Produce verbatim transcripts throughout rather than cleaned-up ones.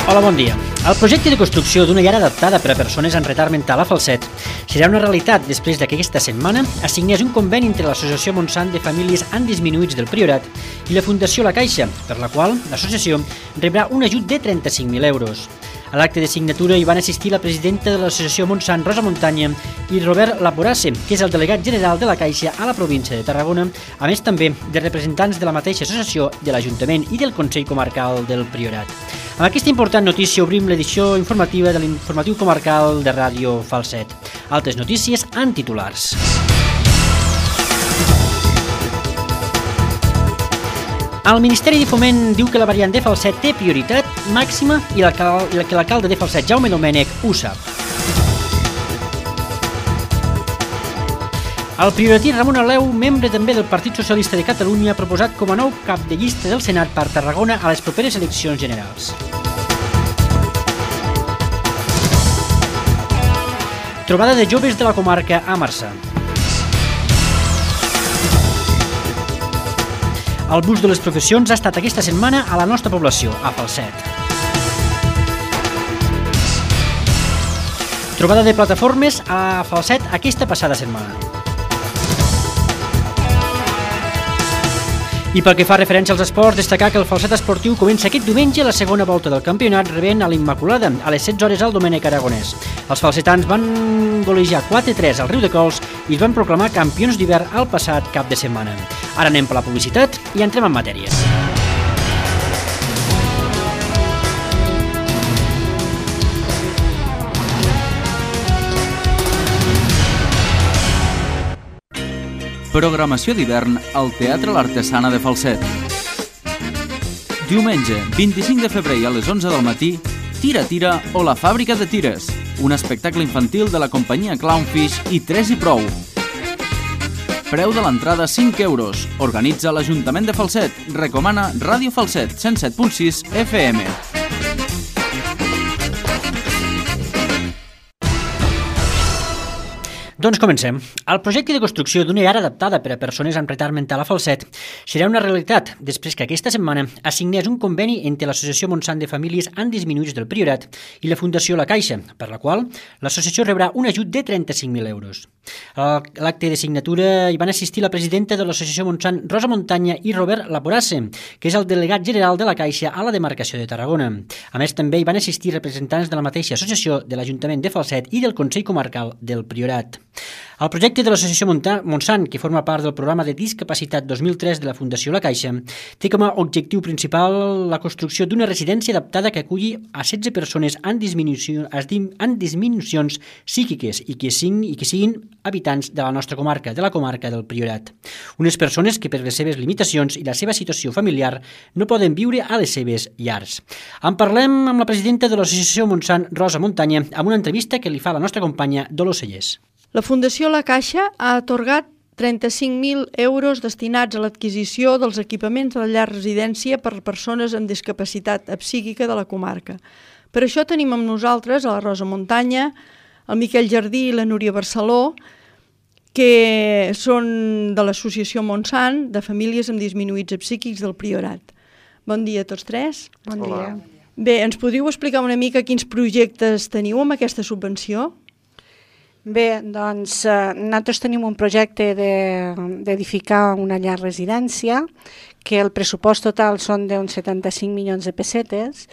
Hola, bon dia. El projecte de construcció d'una llar adaptada per a persones amb retard mental a Falset serà una realitat després que aquesta setmana es signés un conveni entre l'Associació Montsant de Famílies amb Disminuïts del Priorat i la Fundació La Caixa, per la qual l'associació rebrà un ajut de trenta-cinc mil euros. A l'acte de signatura hi van assistir la presidenta de l'associació Montsant, Rosa Montanya, i Robert Laborasse, que és el delegat general de la Caixa a la província de Tarragona, a més també de representants de la mateixa associació, de l'Ajuntament i del Consell Comarcal del Priorat. Amb aquesta important notícia obrim l'edició informativa de l'informatiu comarcal de Ràdio Falset. Altres notícies en titulars. El Ministeri de Foment diu que la variant de Falset té prioritat màxima i que l'alcalde de Falset, Jaume Domènech, ho sap. El prioratí Ramon Aleu, membre també del Partit Socialista de Catalunya, ha proposat com a nou cap de llista del Senat per Tarragona a les properes eleccions generals. Trobada de joves de la comarca a Marçà. El bus de les professions ha estat aquesta setmana a la nostra població, a Falset. Trobada de plataformes a Falset aquesta passada setmana. I pel que fa referència als esports, destacar que el Falset Esportiu comença aquest diumenge la segona volta del campionat rebent a l'Immaculada a les setze hores al Domènec Aragonès. Els falsetans van golejar quatre a tres al Riudecols i es van proclamar campions d'hivern el passat cap de setmana. Ara anem per la publicitat i entrem en matèria. Programació d'hivern al Teatre L'Artesana de Falset. Diumenge, vint-i-cinc de febrer a les onze del matí, Tira Tira o la fàbrica de tires, un espectacle infantil de la companyia Clownfish i Tres i Prou. Preu de l'entrada cinc euros. Organitza l'Ajuntament de Falset. Recomana Ràdio Falset cent set punt sis F M. Doncs comencem. El projecte de construcció d'una llar adaptada per a persones amb retard mental a Falset serà una realitat després que aquesta setmana es signés un conveni entre l'Associació Montsant de Famílies amb Disminuïts del Priorat i la Fundació La Caixa, per la qual l'associació rebrà un ajut de trenta-cinc mil euros. A l'acte de signatura hi van assistir la presidenta de l'Associació Montsant, Rosa Montanya, i Robert Laborasse, que és el delegat general de la Caixa a la demarcació de Tarragona. A més, també hi van assistir representants de la mateixa associació, de l'Ajuntament de Falset i del Consell Comarcal del Priorat. El projecte de l'Associació Montsant, que forma part del programa de discapacitat dos mil tres de la Fundació La Caixa, té com a objectiu principal la construcció d'una residència adaptada que aculli a setze persones amb, disminució, amb disminucions psíquiques i que, siguin, i que siguin habitants de la nostra comarca, de la comarca del Priorat. Unes persones que per les seves limitacions i la seva situació familiar no poden viure a les seves llars. En parlem amb la presidenta de l'Associació Montsant, Rosa Montanya, amb una entrevista que li fa la nostra companya Dolors Cellers. La Fundació La Caixa ha atorgat trenta-cinc mil euros destinats a l'adquisició dels equipaments de la llar residència per a persones amb discapacitat psíquica de la comarca. Per això tenim amb nosaltres a la Rosa Montanya, el Miquel Jardí i la Núria Barceló, que són de l'Associació Montsant de Famílies amb Disminuïts Psíquics del Priorat. Bon dia a tots tres. Bon dia. Bé, ens podríeu explicar una mica quins projectes teniu amb aquesta subvenció? Bé, doncs eh, nosaltres tenim un projecte d'edificar de, una llar residència, que el pressupost total són d'uns setanta-cinc milions de pessetes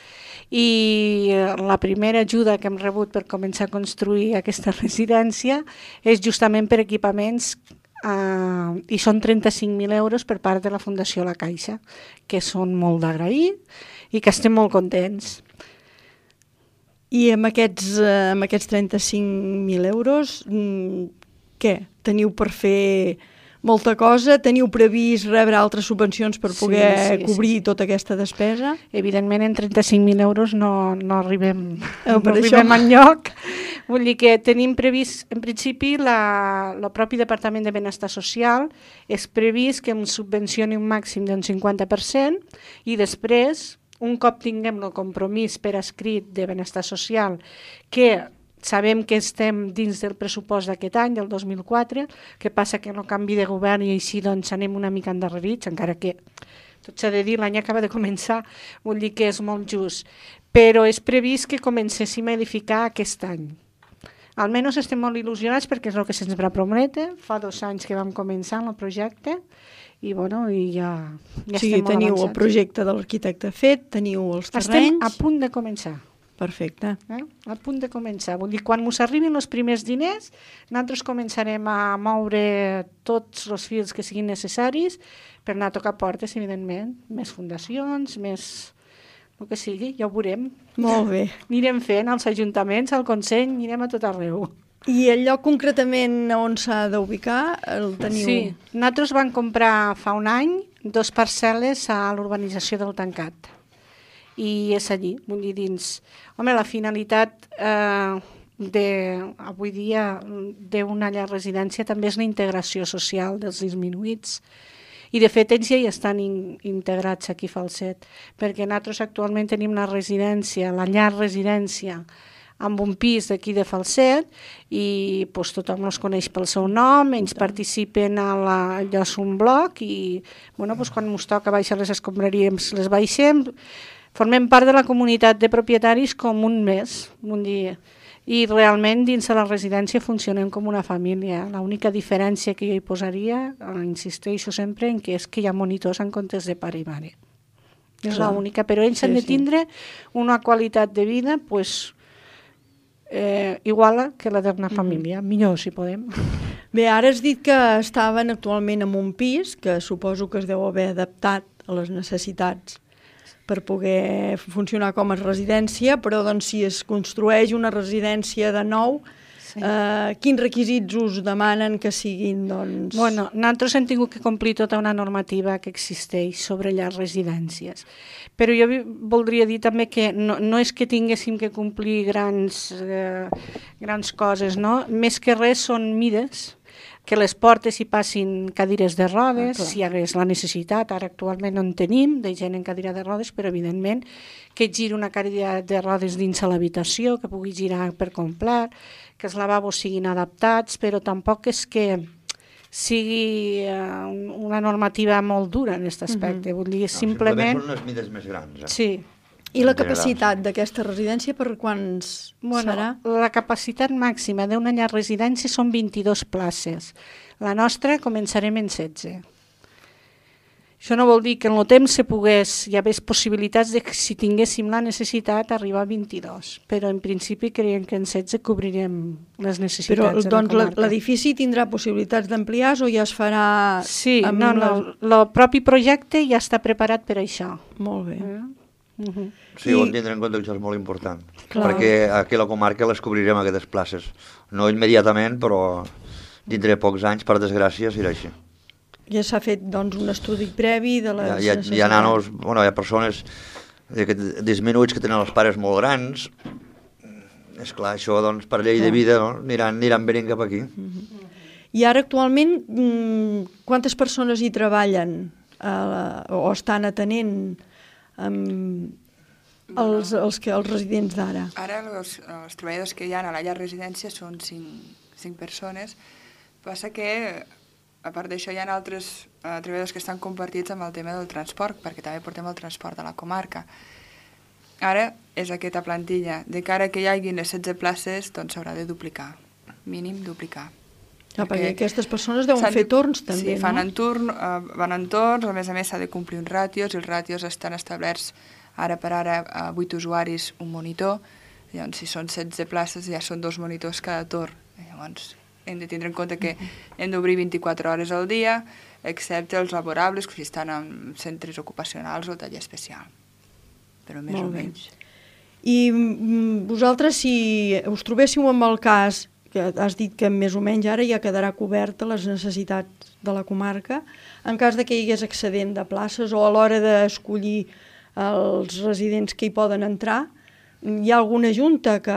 i la primera ajuda que hem rebut per començar a construir aquesta residència és justament per equipaments eh, i són trenta-cinc mil euros per part de la Fundació La Caixa, que són molt d'agrair i que estem molt contents. I amb aquests, amb aquests trenta-cinc mil euros, què? Teniu per fer molta cosa? Teniu previst rebre altres subvencions per poder sí, sí, cobrir sí. tota aquesta despesa? Evidentment, en trenta-cinc mil euros no, no arribem, eh, no arribem enlloc. Vull dir que tenim previst, en principi, la, el propi Departament de Benestar Social és previst que ens subvencioni un màxim d'un cinquanta per cent i després, un cop tinguem el compromís per escrit de benestar social, que sabem que estem dins del pressupost d'aquest any, del dos mil quatre, que passa que no canvi de govern i així doncs anem una mica endarrerits, encara que tot s'ha de dir, l'any acaba de començar, vull dir que és molt just. però és previst que comencéssim a edificar aquest any. Almenys estem molt il·lusionats perquè és el que se'ns va prometre. Fa dos anys que vam començar el projecte i, bueno, i ja, ja sí, estem molt teniu avançats. El projecte de l'arquitecte fet, teniu els terrenys... Estem a punt de començar. Perfecte. Eh? A punt de començar. Vull dir, quan ens arribin els primers diners, nosaltres començarem a moure tots els fils que siguin necessaris per anar a tocar portes, evidentment. Més fundacions, més... el que sigui, ja ho veurem. Molt bé. Anirem fent als ajuntaments, al Consell, anirem a tot arreu. I el lloc concretament on s'ha d'ubicar el teniu? Sí, nosaltres vam comprar fa un any dos parcel·les a l'urbanització del Tancat. I és allí, vull dir, dins... Home, la finalitat eh, de, avui dia d'una llar residència també és la integració social dels disminuïts. I de fet ells ja hi estan in, integrats aquí a Falset, perquè nosaltres actualment tenim una residència, la llar residència, amb un pis d'aquí de Falset i pues, tothom els coneix pel seu nom, ells participen a la, allò és un bloc i bueno, pues, quan ens toca baixar les escombraries les baixem, formem part de la comunitat de propietaris com un mes, un dia. I realment dins de la residència funcionem com una família. L'única diferència que jo hi posaria, insisteixo sempre, en que és que hi ha monitors en comptes de pare i mare. És l'única, però ells sí, han de tindre sí. una qualitat de vida pues, eh, igual que la d'una família, mm-hmm. millor si podem. Bé, ara has dit que estaven actualment en un pis, que suposo que es deu haver adaptat a les necessitats per poder funcionar com a residència, però doncs, si es construeix una residència de nou, sí. eh, quins requisits us demanen que siguin? Doncs... Bueno, nosaltres hem tingut que complir tota una normativa que existeix sobre les residències, però jo voldria dir també que no, no és que tinguéssim que complir grans, eh, grans coses, no? Més que res són mides, que les portes hi passin cadires de rodes, ah, si hi hagués la necessitat, ara actualment no en tenim, de gent en cadira de rodes, però evidentment que giri una cadira de rodes dins de l'habitació, que pugui girar per complet, que els lavabos siguin adaptats, però tampoc és que sigui uh, una normativa molt dura en aquest aspecte, mm-hmm. vull dir, no, simplement... Simplement són unes mides més grans. Eh? Sí. I la capacitat d'aquesta residència per quants bueno, serà? La capacitat màxima d'una llar residència són vint-i-dues places. La nostra començarem en setze. Això no vol dir que en el temps se pogués, hi hagués possibilitats de que si tinguéssim la necessitat arribar a vint-i-dos, però en principi creiem que en setze cobrirem les necessitats però, de la doncs, comarca. Però l'edifici tindrà possibilitats d'ampliar o ja es farà... Sí, amb no, no, la... el propi projecte ja està preparat per això. Molt bé. Eh? Uh-huh. Sí, ho hem de tindre en compte que això és molt important, clar. perquè aquí a la comarca les cobrirem aquestes places. No immediatament, però dintre de pocs anys, per desgràcia, serà així. Ja s'ha fet doncs, un estudi previ de les hi ha, hi ha, necessitats. Hi ha nanos, bueno, hi ha persones que, disminuïts que tenen els pares molt grans. És clar, això doncs, per llei clar. de vida no? aniran, aniran venint cap aquí. Uh-huh. I ara actualment quantes persones hi treballen eh, o estan atenent amb els, els, que, els residents d'ara? Ara els, els treballadors que hi ha a la llar residència són cinc, cinc persones. Passa que, a part d'això, hi ha altres uh, treballadors que estan compartits amb el tema del transport, perquè també portem el transport a la comarca. Ara és aquesta plantilla. De cara que hi hagi les setze places, doncs s'haurà de duplicar, mínim duplicar. Ja, perquè, perquè aquestes persones deuen fer torns també, sí, fan no? en turn, uh, van en torns, a més a més s'ha de complir uns ràtios, i els ràtios estan establerts ara per ara a vuit usuaris, un monitor, llavors si són setze places ja són dos monitors cada torn, llavors hem de tindre en compte que hem d'obrir vint-i-quatre hores al dia, excepte els laborables, que si estan en centres ocupacionals o taller especial, però més Molt o bé. menys. I vosaltres, si us trobéssiu amb el cas que has dit que més o menys ara ja quedarà coberta les necessitats de la comarca, en cas de que hi hagués excedent de places o a l'hora d'escollir els residents que hi poden entrar, hi ha alguna junta que,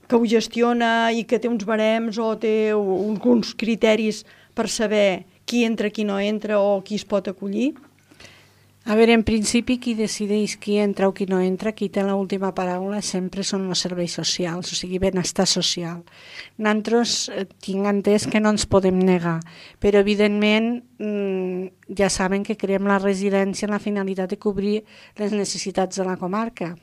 que ho gestiona i que té uns barems o té uns criteris per saber qui entra, qui no entra o qui es pot acollir? A veure, en principi, qui decideix qui entra o qui no entra, qui té l'última paraula, sempre són els serveis socials, o sigui, benestar social. Nosaltres tinc entès que no ens podem negar, però evidentment ja saben que creem la residència amb la finalitat de cobrir les necessitats de la comarca.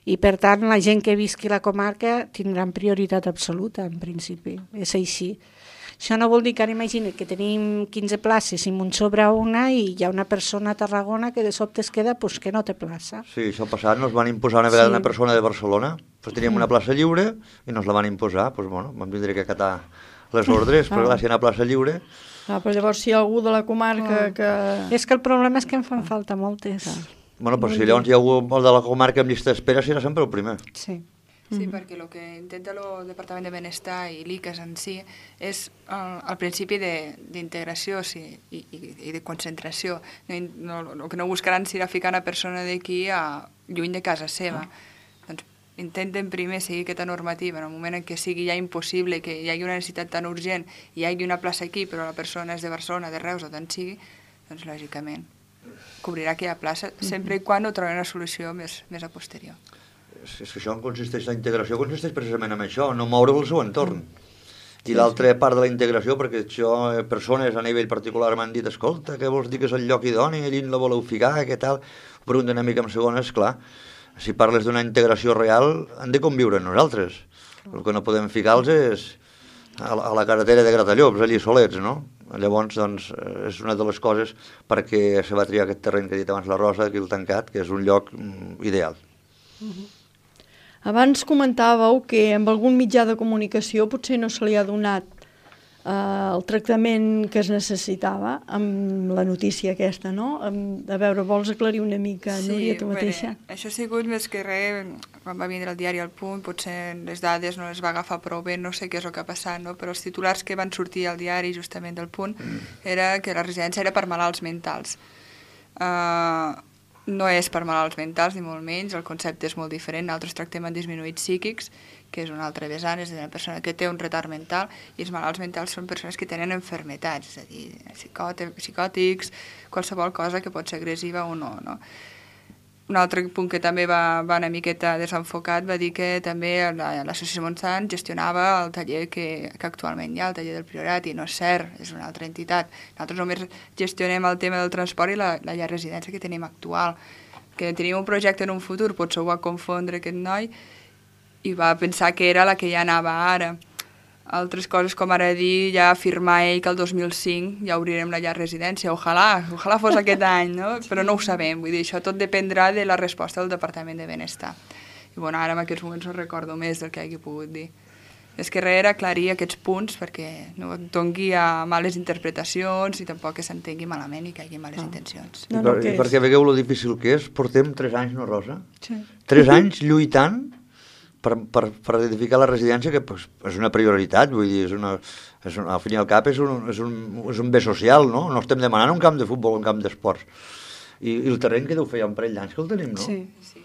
I per tant, la gent que visqui a la comarca tindrà prioritat absoluta, en principi, és així. Això no vol dir que ara imagina't que tenim quinze places i m'un sobra una i hi ha una persona a Tarragona que de sobte es queda pues, que no té plaça. Sí, això passat, nos van imposar una vegada sí. una persona de Barcelona, pues teníem una plaça lliure i nos la van imposar, pues, bueno, vam tindre que acatar les ordres, però clar, si hi ha una plaça lliure... Ah, però llavors si hi ha algú de la comarca ah. que... És que el problema és que em fan falta moltes. Ah. Bueno, però si llavors hi ha algú de la comarca amb llista d'espera serà sempre el primer. Sí. Sí, mm-hmm. perquè el que intenta el Departament de Benestar i l'I C A S en si és el, el principi d'integració sí, i, i, i de concentració. No, no, el que no buscaran serà ficar una persona d'aquí a lluny de casa seva. Ah. Doncs intenten primer seguir aquesta normativa. En el moment en què sigui ja impossible, que hi hagi una necessitat tan urgent i hi hagi una plaça aquí, però la persona és de Barcelona, de Reus o d'on sigui, doncs lògicament cobrirà aquella plaça, sempre i quan no trobi una solució més, més a posterior. És que això consisteix, la integració consisteix precisament en això, no moure el seu entorn. I l'altra part de la integració, perquè això, persones a nivell particular m'han dit, escolta, què vols dir que és el lloc idoni, allí la voleu ficar, què tal? Ho pregunten una mica en segones, clar, si parles d'una integració real, han de conviure amb nosaltres. El que no podem ficar-los és a la, a la carretera de Gratallops, allí solets, no? Llavors, doncs, és una de les coses perquè se va triar aquest terreny que ha dit abans la Rosa, aquí el tancat, que és un lloc ideal. Uh-huh. Abans comentàveu que amb algun mitjà de comunicació potser no se li ha donat eh, el tractament que es necessitava amb la notícia aquesta, no? A veure, vols aclarir una mica, sí, Núria, tu mateixa? Bé, això ha sigut més que res, quan va vindre el diari al Punt, potser les dades no les va agafar prou bé, no sé què és el que ha passat, no? Però els titulars que van sortir al diari justament del Punt era que la residència era per malalts mentals. Uh, No és per malalts mentals, ni molt menys, el concepte és molt diferent. Nosaltres tractem amb disminuïts psíquics, que és una altra vessant, és una persona que té un retard mental, i els malalts mentals són persones que tenen enfermetats, és a dir, psicòtics, qualsevol cosa que pot ser agressiva o no, no? Un altre punt que també va, va una miqueta desenfocat va dir que també l'Associació Montsant gestionava el taller que, que actualment hi ha, el taller del Priorat, i no és cert, és una altra entitat. Nosaltres només gestionem el tema del transport i la, la llar residència que tenim actual. Que tenim un projecte en un futur, potser ho va confondre aquest noi i va pensar que era la que ja anava ara. Altres coses, com ara dir, ja afirmar ell que el dos mil cinc ja obrirem la llar residència. Ojalà, ojalà fos aquest any, no? Però no ho sabem. Vull dir, això tot dependrà de la resposta del Departament de Benestar. I bueno, ara en aquests moments no recordo més del que hagi pogut dir. És que res era aclarir aquests punts perquè no doni a males interpretacions i tampoc que s'entengui malament i que hi hagi males ah. intencions. No, no, I, per, I perquè veieu lo difícil que és, portem tres anys, no, Rosa? Sí. Tres anys lluitant Per, per, per edificar la residència, que pues, és una prioritat, vull dir, és una, és un, al fin i al cap és un, és, un, és un bé social, no? No estem demanant un camp de futbol, un camp d'esports. I, I el terreny que deu fer ja un parell d'anys que el tenim, no? Sí.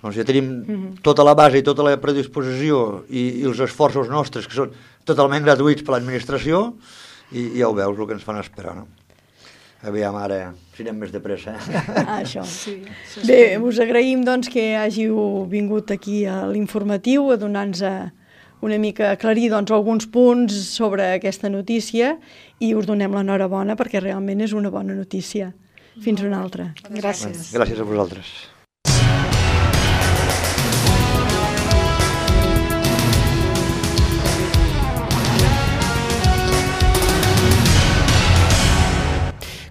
Doncs ja tenim uh-huh. tota la base i tota la predisposició i, i els esforços nostres, que són totalment gratuïts per l'administració, i, i ja ho veus, el que ens fan esperar, no? Aviam, ara, si anem més de pressa. Ah, això. Sí, bé, us agraïm doncs, que hàgiu vingut aquí a l'informatiu a donar-nos una mica, a aclarir doncs, alguns punts sobre aquesta notícia i us donem l'enhorabona perquè realment és una bona notícia. Fins una altra. Gràcies. Gràcies a vosaltres.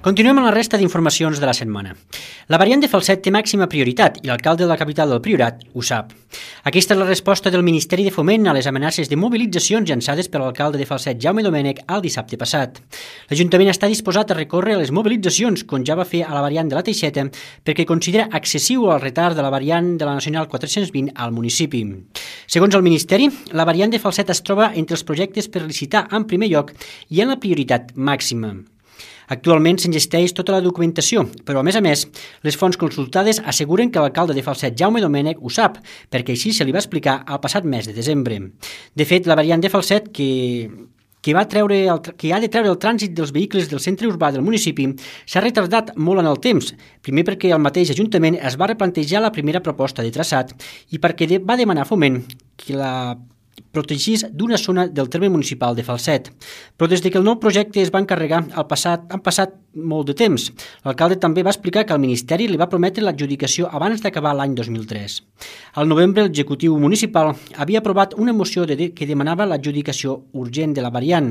Continuem amb la resta d'informacions de la setmana. La variant de Falset té màxima prioritat i l'alcalde de la capital del Priorat ho sap. Aquesta és la resposta del Ministeri de Foment a les amenaces de mobilitzacions llançades per l'alcalde de Falset, Jaume Domènech, el dissabte passat. L'Ajuntament està disposat a recórrer a les mobilitzacions, com ja va fer a la variant de la Teixeta, perquè considera excessiu el retard de la variant de la Nacional quatre-cents vint al municipi. Segons el Ministeri, la variant de Falset es troba entre els projectes per licitar en primer lloc i en la prioritat màxima. Actualment s'engesteix tota la documentació, però a més a més, les fonts consultades asseguren que l'alcalde de Falset, Jaume Domènech, ho sap, perquè així se li va explicar al passat mes de desembre. De fet, la variant de Falset, que, que, va treure el, que ha de treure el trànsit dels vehicles del centre urbà del municipi s'ha retardat molt en el temps, primer perquè el mateix Ajuntament es va replantejar la primera proposta de traçat i perquè de, va demanar a Foment que la protegís d'una zona del terme municipal de Falset. Però des de que el nou projecte es va encarregar, al passat, han passat molt de temps. L'alcalde també va explicar que el Ministeri li va prometre l'adjudicació abans d'acabar l'any dos mil tres. Al novembre, l'executiu municipal havia aprovat una moció de, que demanava l'adjudicació urgent de la variant.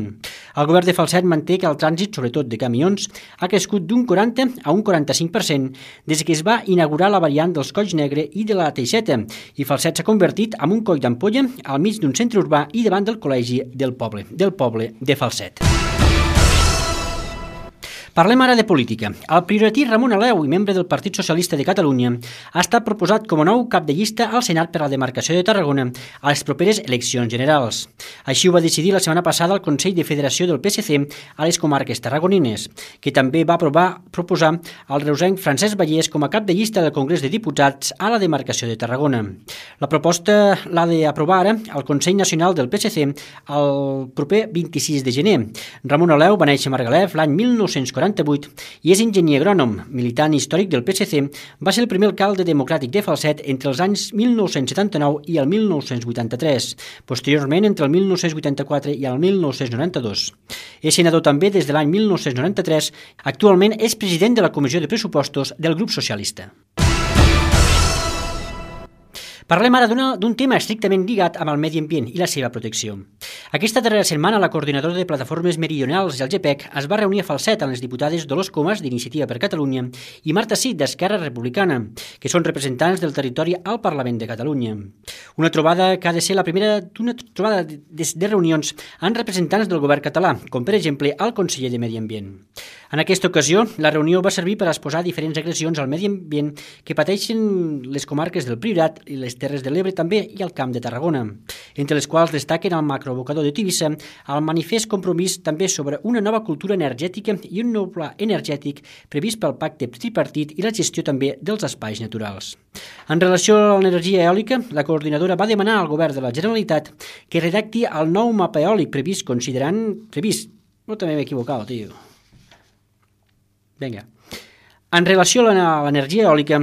El govern de Falset manté que el trànsit, sobretot de camions, ha crescut d'un quaranta a un quaranta-cinc per cent des que es va inaugurar la variant dels Colls Negre i de la Teixeta, i Falset s'ha convertit en un coll d'ampolla al mig d'un centre urbà i davant del col·legi del poble, del poble de Falset. Parlem ara de política. El prioratí Ramon Aleu, i membre del Partit Socialista de Catalunya, ha estat proposat com a nou cap de llista al Senat per a la demarcació de Tarragona a les properes eleccions generals. Així ho va decidir la setmana passada el Consell de Federació del P S C a les comarques tarragonines, que també va aprovar, proposar el reusenc Francesc Vallès com a cap de llista del Congrés de Diputats a la demarcació de Tarragona. La proposta l'ha d'aprovar ara el Consell Nacional del P S C el proper vint-i-sis de gener. Ramon Aleu va néixer a Margalef l'any mil nou-cents quaranta-vuit i és enginyer agrònom, militant històric del P S C. Va ser el primer alcalde democràtic de Falset entre els anys mil nou-cents setanta-nou i el mil nou-cents vuitanta-tres, posteriorment entre el mil nou-cents vuitanta-quatre i el mil nou-cents noranta-dos. És senador també des de l'any mil nou-cents noranta-tres, actualment és president de la Comissió de Pressupostos del grup socialista. Parlem ara d'un tema estrictament lligat amb el medi ambient i la seva protecció. Aquesta darrera setmana, la coordinadora de plataformes meridionals del G P E C es va reunir a Falset amb les diputades Dolors Comas, d'Iniciativa per Catalunya, i Marta Cid, d'Esquerra Republicana, que són representants del territori al Parlament de Catalunya. Una trobada que ha de ser la primera d'una trobada de, de reunions amb representants del govern català, com per exemple el conseller de Medi Ambient. En aquesta ocasió, la reunió va servir per exposar diferents agressions al medi ambient que pateixen les comarques del Priorat i les Terres de l'Ebre també i el Camp de Tarragona, entre les quals destaquen el macroabocador de Tivissa, el manifest compromís també sobre una nova cultura energètica i un nou pla energètic previst pel pacte tripartit i la gestió també dels espais naturals. En relació a l'energia eòlica, la coordinadora va demanar al govern de la Generalitat que redacti el nou mapa eòlic previst considerant... previst... No, també m'he equivocat, tio. Vinga. En relació a l'energia eòlica,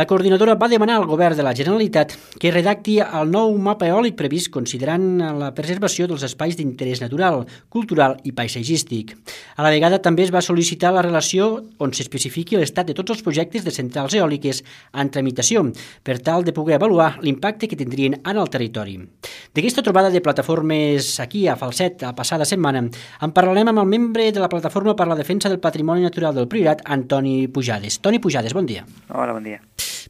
la coordinadora va demanar al govern de la Generalitat que redacti el nou mapa eòlic previst considerant la preservació dels espais d'interès natural, cultural i paisatgístic. A la vegada també es va sol·licitar la relació on s'especifiqui l'estat de tots els projectes de centrals eòliques en tramitació, per tal de poder avaluar l'impacte que tindrien en el territori. D'aquesta trobada de plataformes aquí a Falset la passada setmana, en parlarem amb el membre de la Plataforma per la Defensa del Patrimoni Natural del Priorat, Antoni Pujades. Toni Pujades, bon dia. Hola, bon dia.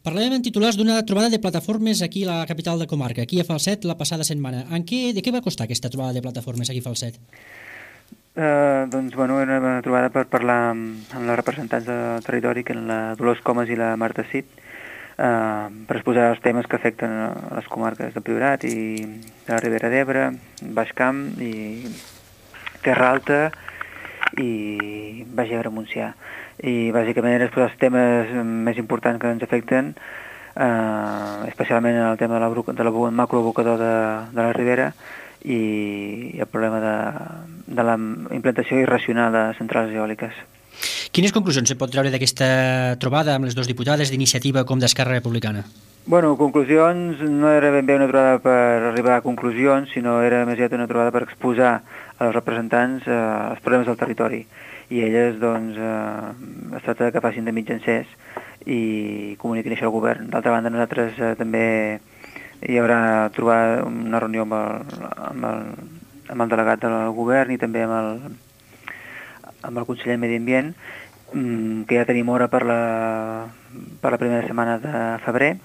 Parlem en titulars d'una trobada de plataformes aquí a la capital de comarca, aquí a Falset, la passada setmana. En què, de què va costar aquesta trobada de plataformes aquí a Falset? Uh, doncs, bueno, era una trobada per parlar amb, amb les representants del territori, que eren la Dolors Comas i la Marta Cid, uh, per exposar els temes que afecten a les comarques de Priorat i de la Ribera d'Ebre, Baix Camp i Terra Alta i Baix Ebre Montsià. I bàsicament era exposar els temes més importants que ens afecten, eh, especialment el tema de la, de la macroabocador de, de la Ribera i el problema de, de la implantació irracional de centrals eòliques. Quines conclusions se pot treure d'aquesta trobada amb les dues diputades d'Iniciativa com d'Esquerra Republicana? Bueno, conclusions, no era ben bé una trobada per arribar a conclusions, sinó era més aviat una trobada per exposar als representants eh, els problemes del territori. I elles, doncs, eh, es tracta que facin de mitjancers i comuniquin això al govern. D'altra banda, nosaltres eh, també hi haurà trobar una reunió amb el, amb el, amb el delegat del govern i també amb el, amb el conseller de Medi Ambient, que ja tenim hora per la, per la primera setmana de febrer,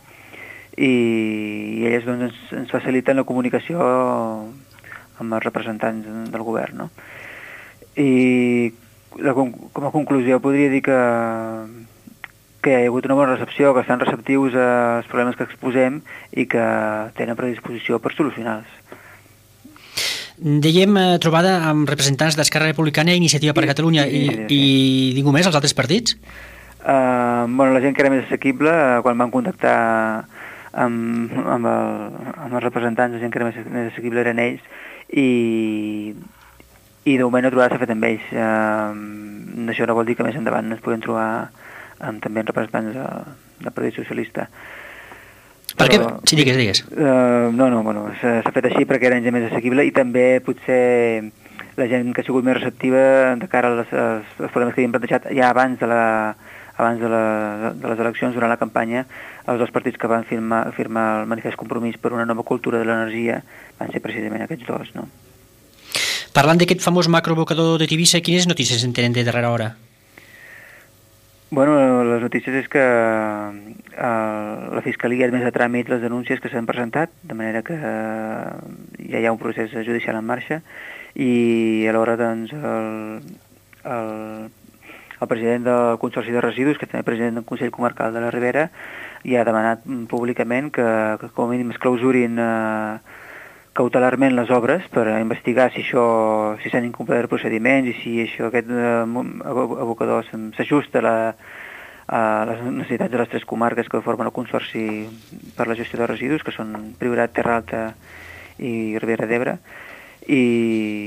i, i elles doncs, ens, ens faciliten la comunicació amb els representants del govern, no? I la, com a conclusió podria dir que, que hi ha hagut una bona recepció, que estan receptius als problemes que exposem i que tenen predisposició per solucionar-los. Dèiem eh, trobada amb representants d'Esquerra Republicana i Iniciativa per Catalunya i, i, i ningú més, els altres partits? Uh, bueno, la gent que era més assequible, quan van contactar amb, amb, el, amb els representants, la gent que era més, més assequible eren ells, i i de moment la trobada s'ha fet amb ells. Eh, això no vol dir que més endavant ens podem trobar amb també representants de, del Partit Socialista. Per què? Sí, digues, digues. Uh, no, no, bueno, s'ha fet així perquè era gent més assequible i també potser la gent que ha sigut més receptiva de cara als, als, als problemes que havíem plantejat ja abans de, la, abans de, la, de les eleccions, durant la campanya, els dos partits que van firmar, firmar el manifest compromís per una nova cultura de l'energia van ser precisament aquests dos, no? Parlant d'aquest famós macroabocador de Tivissa, quines notícies en tenen de darrera hora? Bueno, les notícies és que eh, la Fiscalia ha admès a tràmit les denúncies que s'han presentat, de manera que eh, ja hi ha un procés judicial en marxa i alhora doncs, el, el, el president del Consorci de Residus, que també és president del Consell Comarcal de la Ribera, ja ha demanat públicament que, que com a mínim es clausurin eh, cautelarment les obres per investigar si això, si s'han incomplert procediments i si això, aquest eh, abocador s'ajusta a, la, a les necessitats de les tres comarques que formen el Consorci per la gestió de residus, que són Priorat, Terra Alta i Ribera d'Ebre, i,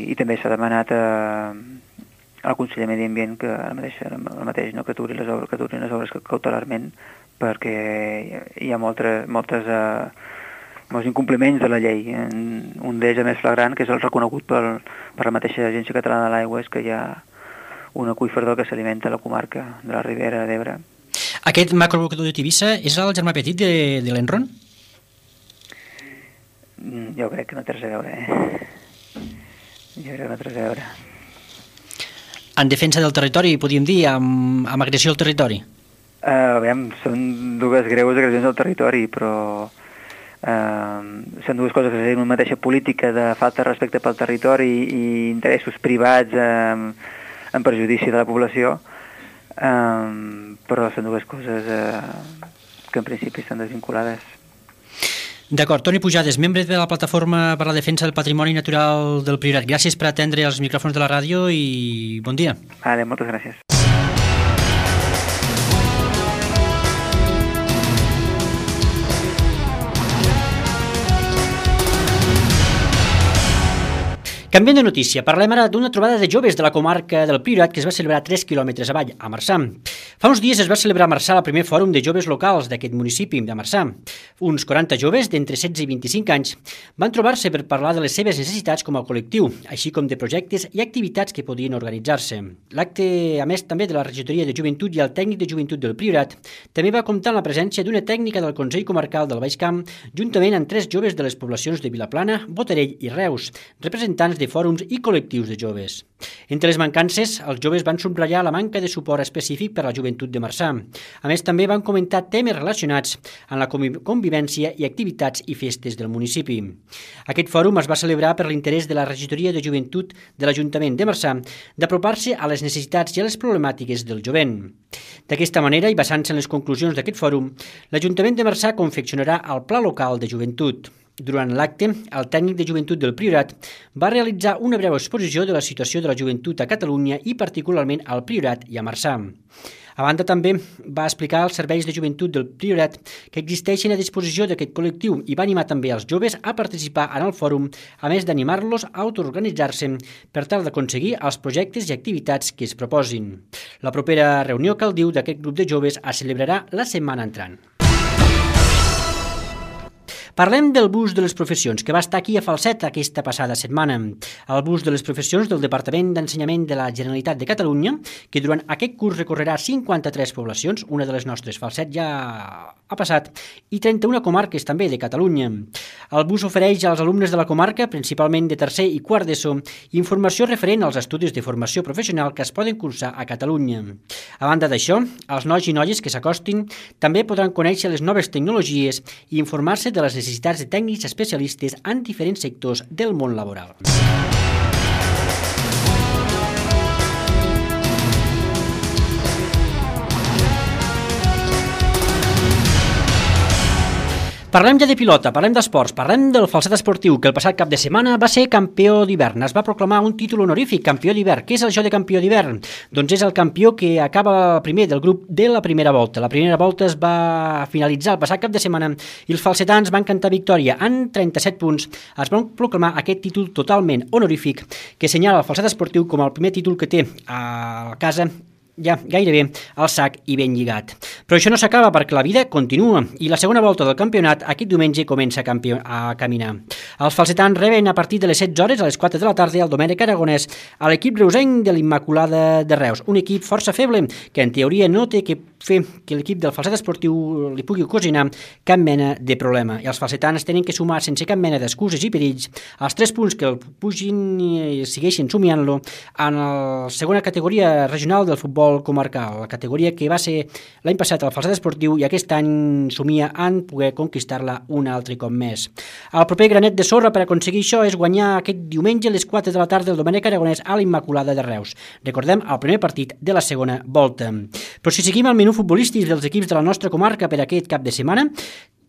i també s'ha demanat a, al conseller de Medi Ambient que ara mateix, ara mateix no, que aturin les obres, que aturin les obres cautelarment perquè hi ha moltes, moltes eh, molts incompliments de la llei. Un d'ells, a més flagrant, que és el reconegut per, per la mateixa Agència Catalana de l'Aigua, és que hi ha un aqüífer del que s'alimenta a la comarca de la Ribera d'Ebre. Aquest macroabocador de Tivissa és el germà petit de, de l'Enron? Jo crec que no té res a veure, eh? Jo crec que no té res a veure. En defensa del territori, podríem dir, amb, amb agressió al territori? Uh, aviam, són dues greus agressions al territori, però Uh, són dues coses que tenen una mateixa política de falta de respecte pel territori i interessos privats uh, en perjudici de la població, uh, però són dues coses uh, que en principi estan desvinculades. D'acord. Toni Pujades, membre de la Plataforma per la Defensa del Patrimoni Natural del Priorat. Gràcies per atendre els micròfons de la ràdio i bon dia. Vale, moltes gràcies. Canviant de notícia, parlem ara d'una trobada de joves de la comarca del Priorat que es va celebrar a tres quilòmetres avall, a Marçà. Fa uns dies es va celebrar a Marçà el primer fòrum de joves locals d'aquest municipi de Marçà. Uns quaranta joves d'entre setze i vint-i-cinc anys van trobar-se per parlar de les seves necessitats com a col·lectiu, així com de projectes i activitats que podien organitzar-se. L'acte, a més també de la regidoria de joventut i el tècnic de joventut del Priorat, també va comptar amb la presència d'una tècnica del Consell Comarcal del Baix Camp, juntament amb tres joves de les poblacions de Vilaplana, Botarell i Reus, representants de de fòrums i col·lectius de joves. Entre les mancances, els joves van subratllar la manca de suport específic per a la joventut de Marçà. A més, també van comentar temes relacionats amb la convivència i activitats i festes del municipi. Aquest fòrum es va celebrar per l'interès de la regidoria de joventut de l'Ajuntament de Marçà d'apropar-se a les necessitats i a les problemàtiques del jovent. D'aquesta manera, i basant-se en les conclusions d'aquest fòrum, l'Ajuntament de Marçà confeccionarà el Pla Local de Joventut. Durant l'acte, el tècnic de joventut del Priorat va realitzar una breu exposició de la situació de la joventut a Catalunya i particularment al Priorat i a Marçà. A banda, també va explicar els serveis de joventut del Priorat que existeixen a disposició d'aquest col·lectiu i va animar també els joves a participar en el fòrum, a més d'animar-los a autoorganitzar-se per tal d'aconseguir els projectes i activitats que es proposin. La propera reunió, cal dir, d'aquest grup de joves es celebrarà la setmana entrant. Parlem del bus de les professions, que va estar aquí a Falset aquesta passada setmana. El bus de les professions del Departament d'Ensenyament de la Generalitat de Catalunya, que durant aquest curs recorrerà cinquanta-tres poblacions, una de les nostres, Falset ja ha passat, i trenta-una comarques també de Catalunya. El bus ofereix als alumnes de la comarca, principalment de tercer i quart d'ESO, informació referent als estudis de formació professional que es poden cursar a Catalunya. A banda d'això, els nois i noies que s'acostin també podran conèixer les noves tecnologies i informar-se de les necessitats de tècnics especialistes en diferents sectors del món laboral. Parlem ja de pilota, parlem d'esports, parlem del Falset Esportiu, que el passat cap de setmana va ser campió d'hivern. Es va proclamar un títol honorífic, campió d'hivern. Què és això de campió d'hivern? Doncs és el campió que acaba primer del grup de la primera volta. La primera volta es va finalitzar el passat cap de setmana i els falsetans van cantar victòria. En trenta-set punts es van proclamar aquest títol totalment honorífic que assenyala el Falset Esportiu com el primer títol que té a casa ja gairebé al sac i ben lligat. Però això no s'acaba perquè la vida continua i la segona volta del campionat aquest diumenge comença a, campió, a caminar. Els falsetans reben a partir de les setze hores a les quatre de la tarda al Domènec Aragonès a l'equip reusenc de l'Immaculada de Reus, un equip força feble que en teoria no té que fer que l'equip del Falset Esportiu li pugui ocasionar cap mena de problema. I els falsetans tenen que sumar sense cap mena d'excuses i perills els tres punts que el pugin i segueixin somiant-lo en la segona categoria regional del futbol comarcal, la categoria que va ser l'any passat al Falset Esportiu i aquest any somia en poder conquistar-la un altre cop més. El proper granet de sorra per aconseguir això és guanyar aquest diumenge a les quatre de la tarda el Domènec Aragonès a l'Immaculada de Reus. Recordem el primer partit de la segona volta. Però si seguim el menú futbolístic dels equips de la nostra comarca per aquest cap de setmana,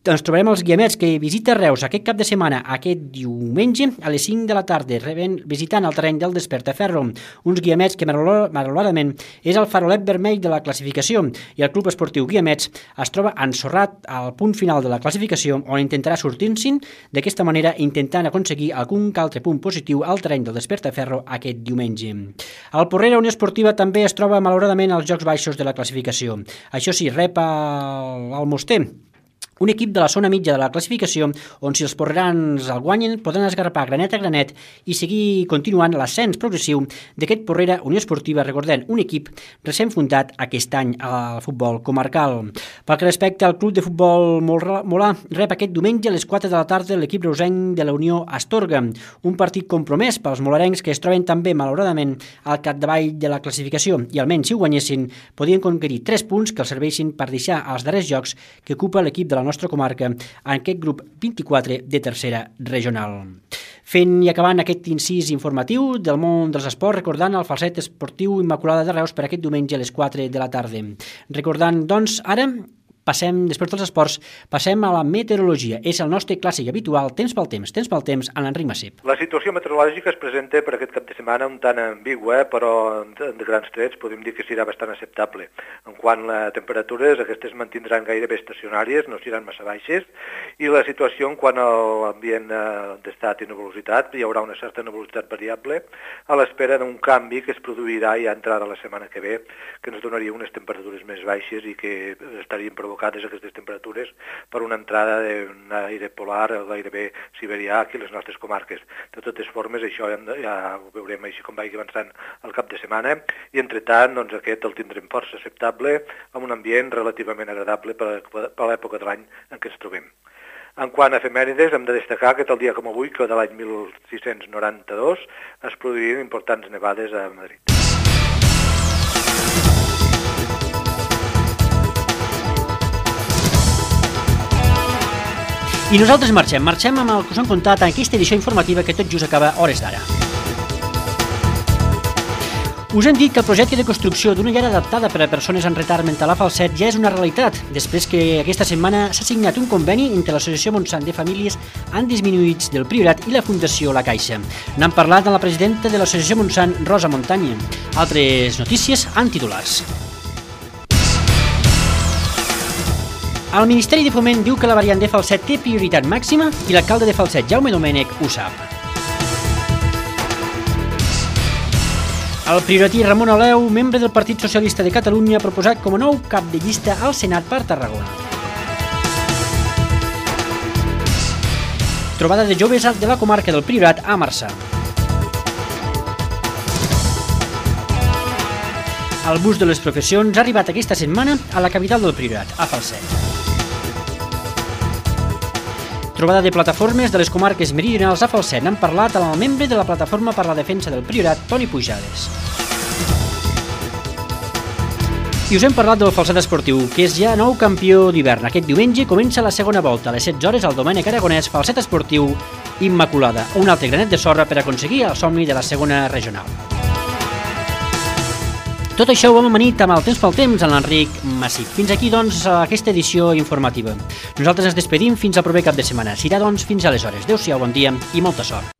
ens trobarem els guiamets que visita Reus aquest cap de setmana, aquest diumenge, a les cinc de la tarda, reben, visitant el terreny del Despertaferro. Uns guiamets que, malauradament, és el farolet vermell de la classificació i el Club Esportiu Guiamets es troba ensorrat al punt final de la classificació on intentarà sortir-se'n d'aquesta manera intentant aconseguir algun altre punt positiu al terreny del Despertaferro aquest diumenge. El Porrera Unió Esportiva també es troba malauradament als jocs baixos de la classificació. Això sí, rep el Moster, un equip de la zona mitja de la classificació on si els porrerans el guanyen poden esgarrapar granet a granet i seguir continuant l'ascens progressiu d'aquest Porrera Unió Esportiva, recordem, un equip recent fundat aquest any al futbol comarcal. Pel que respecta al club de futbol Molà, rep aquest diumenge a les quatre de la tarda l'equip reusenc de la Unió Astorga, un partit compromès pels molarencs que es troben també, malauradament, al capdavall de la classificació i almenys si ho guanyessin podien conquerir tres punts que els serveixin per deixar als darrers jocs que ocupa l'equip de la nostra comarca en aquest grup vint-i-quatre de tercera regional. Fent i acabant aquest incís informatiu del món dels esports, recordant el Falset Esportiu Immaculada de Reus per aquest diumenge a les quatre de la tarda. Recordant, doncs, ara passem, després dels esports, passem a la meteorologia. És el nostre clàssic habitual, temps pel temps, temps pel temps, en l'Enric Massip. La situació meteorològica es presenta per aquest cap de setmana un tant ambigua, però de grans trets podem dir que serà bastant acceptable. En quant a temperatures, aquestes mantindran gairebé estacionàries, no seran massa baixes, i la situació en quant a l'ambient d'estat i nebulositat, hi haurà una certa nebulositat variable, a l'espera d'un canvi que es produirà ja entrada la setmana que ve, que ens donaria unes temperatures més baixes i que estarien provocades aquestes temperatures per una entrada d'un aire polar gairebé siberià aquí a les nostres comarques. De totes formes, això ja, ja ho veurem així com vagi avançant el cap de setmana i, entretant, doncs, aquest el tindrem força acceptable, amb un ambient relativament agradable per, per l'època de l'any en què ens trobem. En quant a efemèrides, hem de destacar que el dia com avui, que de l'any mil sis-cents noranta-dos, es produïren importants nevades a Madrid. I nosaltres marxem, marxem amb el que us hem contat en aquesta edició informativa que tot just acaba hores d'ara. Us hem dit que el projecte de construcció d'una llar adaptada per a persones amb retard mental a Falset ja és una realitat, després que aquesta setmana s'ha signat un conveni entre l'Associació Montsant de Famílies amb Disminuïts del Priorat i la Fundació La Caixa. N'han parlat amb la presidenta de l'Associació Montsant, Rosa Montaña. Altres notícies en titulars. El Ministeri de Foment diu que la variant de Falset té prioritat màxima i l'alcalde de Falset, Jaume Domènech, ho sap. El prioratí Ramon Oleu, membre del Partit Socialista de Catalunya, ha proposat com a nou cap de llista al Senat per Tarragona. Trobada de joves de la comarca del Priorat a Marçà. El bus de les professions ha arribat aquesta setmana a la capital del Priorat, a Falset. Trobada de plataformes de les comarques meridionals a Falset. N'han parlat amb el membre de la Plataforma per la Defensa del Priorat, Toni Pujades. I us hem parlat del Falset Esportiu, que és ja nou campió d'hivern. Aquest diumenge comença la segona volta, a les setze hores al Domènec Aragonès, Falset Esportiu Immaculada. Un altre granet de sorra per aconseguir el somni de la segona regional. Tot això ho hem amanit amb el Temps pel Temps, en l'Enric Massip. Fins aquí, doncs, aquesta edició informativa. Nosaltres ens despedim fins al proper cap de setmana. Serà, doncs, fins aleshores. Adéu-siau, bon dia i molta sort.